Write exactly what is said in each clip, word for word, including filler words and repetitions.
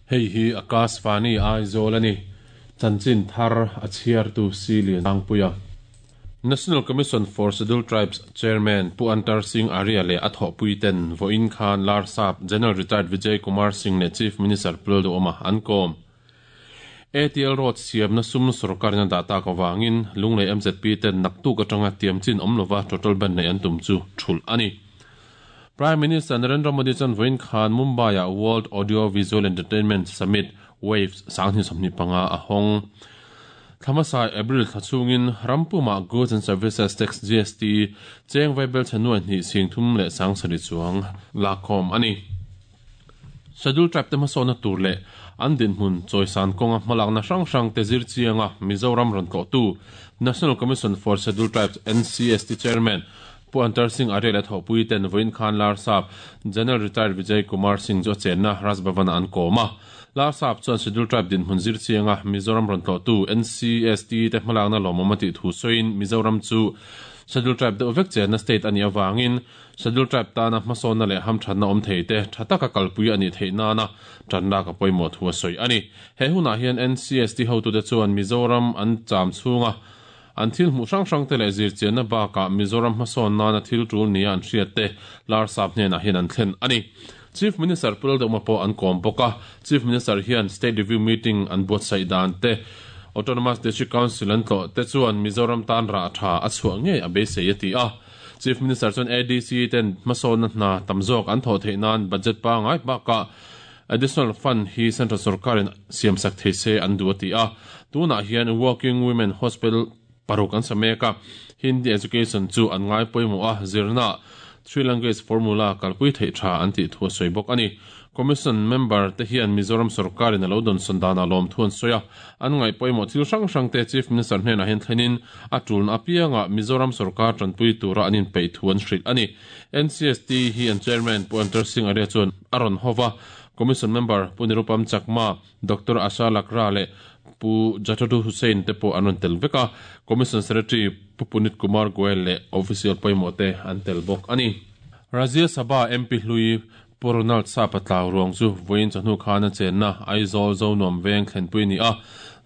Hei hi Akashvani Aizawl ani. Chanchin thar a chhiartu Silian Angpuia. National Commission for Scheduled Tribes Chairman Pu Antar Singh Arya le a thawhpui ten vawiin khan Larsap General Retired Vijay Kumar Singh leh Chief Minister Pu Lalduhoma an kawm. A T L Road siamna sum sorkarin a dah tak avangin Lunglei M Z P ten naktuk atanga tiam chin awm lova total ban nei an tum chu thulh a ni. Prime Minister Narendra Modi chuan vawiin khan Mumbai-ah World Audio Visual Entertainment Summit Waves sanghnih sawmhnih panga a hawng. Thlamasai April thla chungin rampumah Goods and Services Tax G S T cheng vaibel chhanuai hnih sing thum leh sang sarih chuang lakkhawm a ni. Scheduled Tribe te hmasawna tur leh an dinhmun chawisan kawnga hmalakna hrang hrang te zir chianga Mizoram rawn tlawhtu National Commission for Scheduled Tribes N C S T Chairman Pu Antar Singh Arya leh thawhpui ten vawiin khan Larsap General Retired Vijay Kumar Singh chu a chenna Raj Bhavan-ah an kawm a. Larsap chuan Scheduled Tribe dinhmun zir chianga Mizoram rawn tlawhtu N C S T te hmalakna lawmawm a tih thu sawiin Mizoram chu Scheduled Tribe deuh vek chenna state a nih avangin Scheduled Tribe tana hmasawnna leh hamthatna awm thei te tha taka kalpui a nih theih nana tanlak a pawimawh thu a sawi a ni. He hunah hian N C S T hotute chuan Mizoram an cham chhunga an thil hmuh hrang hrang te leh zir chianna bakah Mizoram hmasawn nana thil tul nia an hriat te Larsap hnenah hian an thlen a ni. Chief Minister Pu Lalduhoma pawh an kawm bawk a. Chief Minister hian State Review Meeting an buatsaih dan te Autonomous District Council an tlawh te chuan Mizoram tan rah tha a chhuah ngei a beisei a ti a. Chief Minister chuan A D C ten hmasawnna hna tam zawk an thawh theih nan budget pangai bakah additional fund hi Central Sarkarin siam sak thei se an duh a ti a. Tunah hian Working Women Hospital paruk an sa mek a. Hindi education chu an ngai pawimawh a zirna Three Language Formula kalpui theih tha an tih thu a sawi bawk a ni. Commission member te hian Mizoram Sarkarin a lo dawn sawn danah lawm thu an sawi a. An ngaih pawimawh thil hrang hrang te Chief Minister hnenah hian thlenin a tulna apiangah Mizoram Sarkar tanpui tura an inpeih thu an hrilh a ni. N C S T hi an Chairman Pu Antar Singh Arya chuan a rawn hova. Commission member Pu Nirupam Chakma, Doctor Asha Lakra leh Pu Jatadu Hussain te pawh an rawn tel vek a. Commission Secretary Pu Punit Kumar Goel leh official pawimawh te an tel bawk a ni. Rajya Sabha M P hlui Pu Ronald Sapa tlau ruang chu vawiin chawhnu khan a chenna Aizawl Zonuam veng thlenpui a ni a.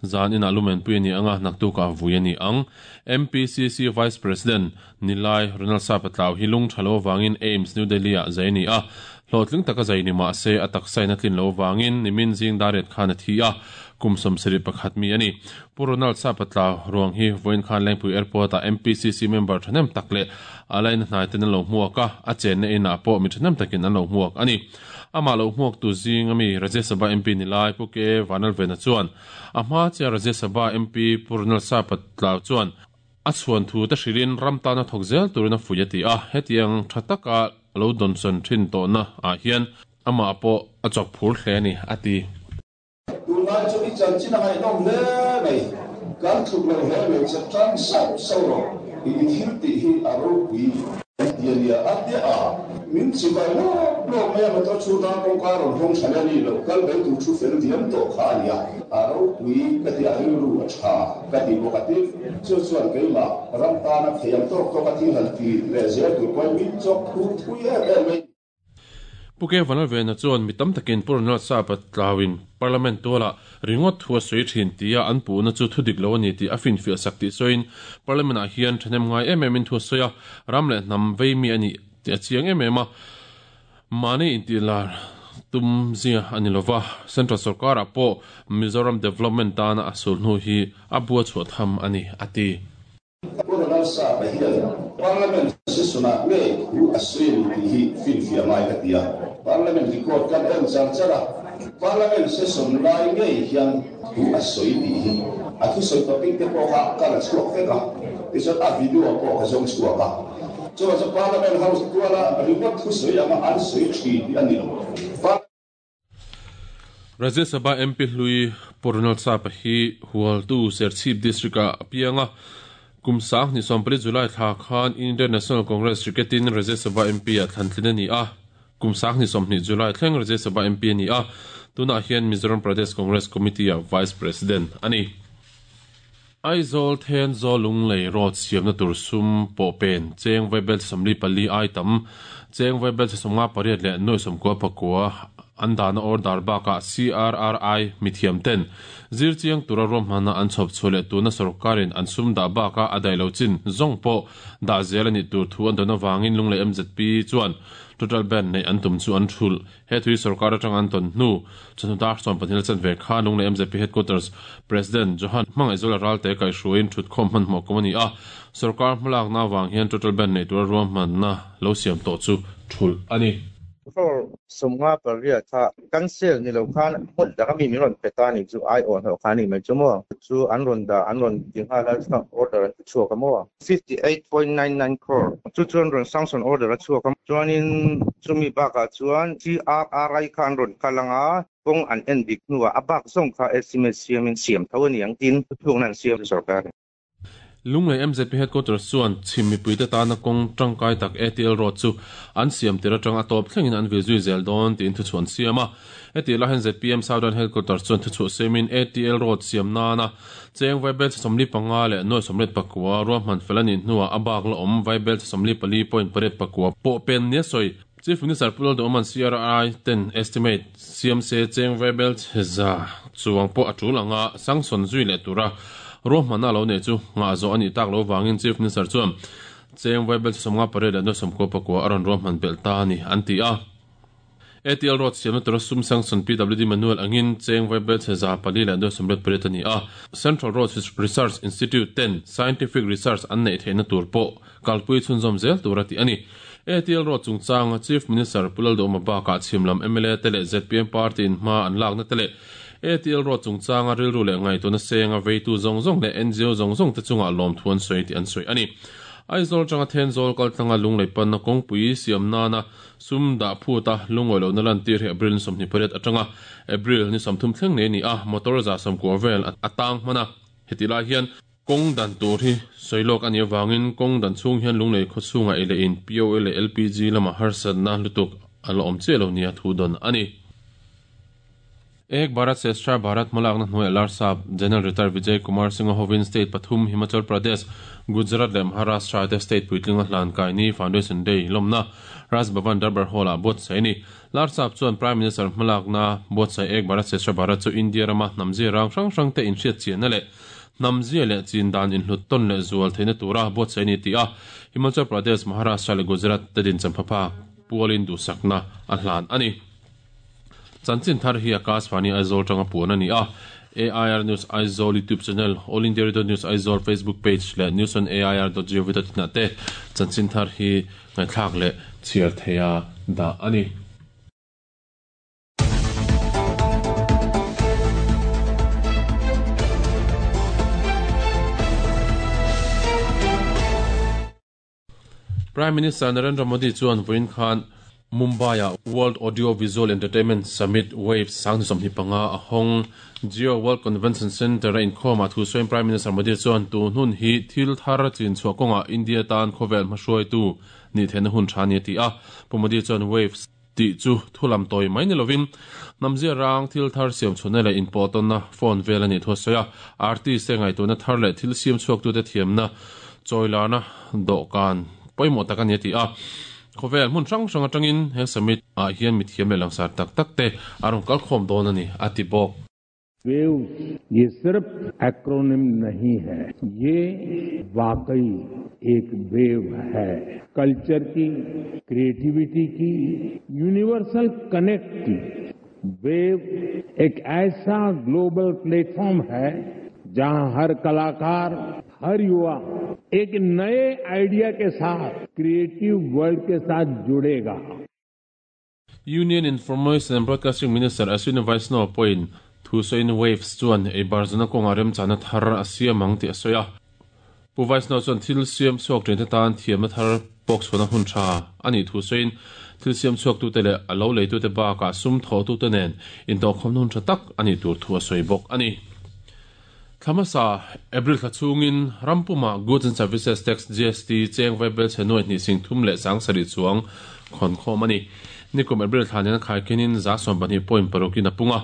Zan inah lumenpui a ni anga naktukah vui a ni ang. M P C C Vice President Nilai Ronald Sapa tlau hi lung tha lo awangin AIIMS New Delhi ah zai a ni a. Hlawhtling taka zai ni mah se a taksain a tlin lo awangin nimin zing dariat khan a thi a. Kum sawmsarih pakhat mi a ni. Pu Ronald Sapa tlau ruang hi vawiin khan Lengpui Airport ah M P C C member thahnem tak leh a laina hnai ten an lo hmuak a, a chenna inah pawh mi thahnem takin an lo hmuak a ni. Amah lo hmuak tu zing ami Rajya Sabha M P Nilai Pu K Vanlalvena chuan a hma chia Rajya Sabha M P Pu Ronald Sapa tlau chuan a chhuan thu te hrilin ram tana thawk zel turin a fui a ti a. Hetiang tha taka lo dawnsawn thin tawhna ah hian amah pawh a chawk phur hle a ni a ti. Tunlai chu i chanchin a ngaihnawm hle mai. Kan tluk lo hle mai che tang sauh sauh rawh. I thil tih hi a ropui ti a nia. A tia a min chibai lawk lawk mai a motor chhung tan kawngka rawn hawng tha leh a ni lo. Kal mai tur thu fel diam tawh kha a nia. A ropui ka ti a rilru a tha ka ti bawk a ti. Chu chuan keimah ram tana thei ang tawk tawk a thil han ti leh zel tur pawhin min chawk phur thui em em mai. Pu K Vanlalvena chuan mi tam takin Pu Ronald Sapa tlauin Parliament tualah ringawt thu a sawi thin tia an puhna chu thu dik lo a ni tih a finfiah sak tih sawiin Parliament ah hian thahnem ngai em em in thu a sawi a, ram leh hnam vei mi a ni tih a chiang em em a. Mahni intihlar tum zia a ni lova, Central Sarkarah pawh Mizoram Development tana a sul hnu hi a bua chhuah tham a ni a ti. Pu Ronald Sapa hian Parliament session-ah ngei thu a sawi a ni tih hi finfiah ngai ka ti a. Parliament record kan en char char a, Parliament session lai ngei hian thu a sawi tih hi a thusawi topic te pawh kha ka la chhuak vek a, tichuan a video pawh ka zawng chhuak a. Chuan chu Parliament House tuala ringawt thusawi anga an sawi thin tih a ni lo. Rajya Sabha M P hlui Pu Ronald Sapa hi Hualtu Serchhip District ah a piang a. Kum sang hnih sawmpali July thla khan Indian National Congress cricketin Rajya Sabha M P ah thlantlin a ni a. Kum sang hnih sawmhnih July thleng Rajya Sabha M P a ni a. Tunah hian Mizoram Pradesh Congress Committee ah Vice President a ni. Aizawl Thenzawl Lunglei Road siamna tur sum pawh pen cheng vaibel sawmli pali ai tam cheng vaibel sawmnga pariat leh nuai sawmkua pakua an dana order baka C R R I mithiam ten zirchiang tura romhana an chhop chhole tuna sarkarin an sum da baka adai lo chin zongpo da zelani tur thu an dona wangin lungle M Z P chuan total ban nei an tum chu an thul he thui sarkar atang an ton nu chanu dar som panhil chan ve kha lungle M Z P headquarters president Johan mangai zola ralte kai hruin thut khom man mo komani a sarkar hmalak na wang hian total ban nei tur romhan na lo siam to chu thul ani for somnga paria tha cancel ni lo khan hot da mi mi ron petani chu ai on ho khani mai chu mo chu an ron da an ron ding hala order chu ka mo fifty-eight point nine nine crore chu chuan ron sanction order chu ka chuanin chumi ba ka chuan C R R I khan ron kalanga kong an en dik nuwa abak song kha estimate siamin siam thawani ang tin thung nan siam sarkar Lunglei M Z P headquarters chuan chimmi puite tana kong tangkai tak A T L road chu an siam tira tang atop thlengin an vilzui zel dawn tin thu chuan siama eti la hen Z P M Southern headquarters chuan thu chu semin A T L road siam nana cheng vaibel somli panga le noi somlet pakwa ruahman felani hnuwa abak la om vaibel somli pali point paret pakwa po pen ne soi Chief Minister Pulal Doman C R I ten estimate C M C cheng vaibel za chuang po atul anga sanction zui le tura ruahmana lo ne chu nga zo ani tak lo wangin Chief Minister chuan cheng vaibel somnga pare le no somko pakwa aron ruahman bel ta ni anti a A T L road siam tura sum sanction P W D manual angin cheng vaibel za pali le no somret pare tani a Central Road Research Institute ten scientific research an nei theina tur po kalpui chunzom zel tura ti ani A T L road chungchang Chief Minister Pulal Doma ba ka chimlam M L A tele Z P M party in ma an lak na tele A T L road chungchang a rilru le ngai tuna senga veitu zong zong le N G O zong zong te chunga lom thuan soi ti an soi ani Aizawl changa Thenzawl kal tlanga lunglei pan na kawngpui siam nana sum da phuta lungoi lo na lan tir he April somni pariat atanga April ni samthum thleng ne ni a motor za sam ko vel atang mana hetila hian kong dan tur hi soilok ani wangin kong dan chung hian lunglei khochunga ele in P O L L P G lama harsat na lutuk alo om chelo nia thu don ani Ek Bharat Shreshtha Bharat malak na hnuai Larsap General Retired Vijay Kumar Singh Hovin State pathum Himachal Pradesh Gujarat le Maharashtra te state puitlinga hlan kai ni Foundation Day lomna Raj Bhavan Darbar Hall a bot sai ni Larsap chuan Prime Minister malak na bot sai Ek Bharat Shreshtha Bharat chu India rama namzi rang rang rang te in hriat chian na le namzi le chin dan in hlut ton le zual theina tura bot sai ni ti a Himachal Pradesh Maharashtra le Gujarat te din champha pualin du sakna a hlan ani Chanchin thar hi Akashvani Aizawl tanga puan ani a A I R News Aizawl YouTube channel All India Radio News Aizawl Facebook page le news on A I R dot gov dot in te chanchin thar hi ngai thlak le chiar theia da ani Prime Minister Narendra Modi chuan voin khan Mumbai World Audio Visual Entertainment Summit Waves sang somni panga ahong Geo World Convention Center in khoma thu soin Prime Minister Modi chuan tu nun hi thil thar chin chuakonga India tan khovel hmahruai tu ni then hun thani ti a Pu Modi chuan Waves ti chu thulam toi mai ni lovin namzia rang thil thar siam chhunele in poton na phone velani thu soya artist te ngai tu na thar le thil siam chuak tu te thiam na choilana do kan poimo takani ti a khovel mun rang rang atangin he summit a hian mi thiam le langsar tak tak te arong kal khom don ani ati bok waves ये सिर्फ acronym नहीं है, ये वाकई एक wave है। Culture की, क्रिएटिविटी की, यूनिवर्सल कनेक्ट की। वेव एक ऐसा ग्लोबल प्लेटफॉर्म है जहां हर कलाकार, हर युवा एक नए आइडिया के साथ क्रिएटिव वर्ल्ड के साथ जुड़ेगा। Union Information and Broadcasting Minister Ashwini Vaishnaw point thu soin waves chuan ei barzana konga rem chana thar asia mang ti asoya pu Vaishnaw chuan thil siam suak train te tan thiam thar box chona hun tha ani thu soin thil siam suak tu te le alo lei tu te ba ka sum tho tu te nen in to khom nun tha tak ani tur thu asoi bok ani Thamasa April khachungin Rampuma Goods and Services Tax G S T cheng vaibel chenoi ni sing thum le sang sari chuang khon khom ani nikum April thanen khai kenin za som bani point parokin apunga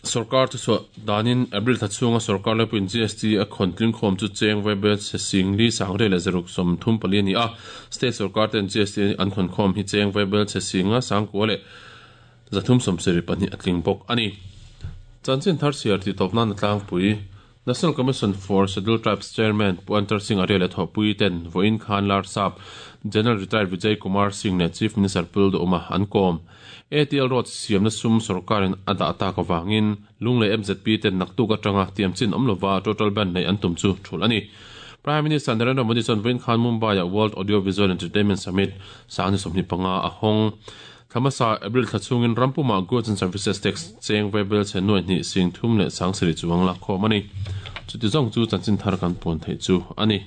sarkar chu so danin April thachunga sarkar le pin G S T a khontling khom chu cheng vaibel sing li sang re le zaruk som thum pali ni a state sarkar ten G S T an khon khom hi cheng vaibel singa sang ko le Zathum sawmsarih pahnih a tling bawk a ni. Chanchin thar chhiar tih tawp nan a tlangpui. National Commission for Scheduled Tribes Chairman Pu Antar Singh Arya leh thawhpui ten vawiin khan Larsap General Retired Vijay Kumar Singh leh Chief Minister Pu Duhoma an kawm. A T L Road siamna sum sorkarin a dah tak avangin Lunglei M Z P ten naktuk atanga tiamchin awm lova total ban nei an tum chu thul a ni. Prime Minister Narendra Modi chuan vawiin khan Mumbai-ah World Audio Visual Entertainment Summit sangni sawmhnih panga a hawng. Thamasa April thla chhungin rampuma Goods and Services Tax cheng vaibel chhe nuai hnih sing thum leh sang sarih chuang la khawm a ni. Chuti zawng chu chanchin thar kan puan theih chu a ni.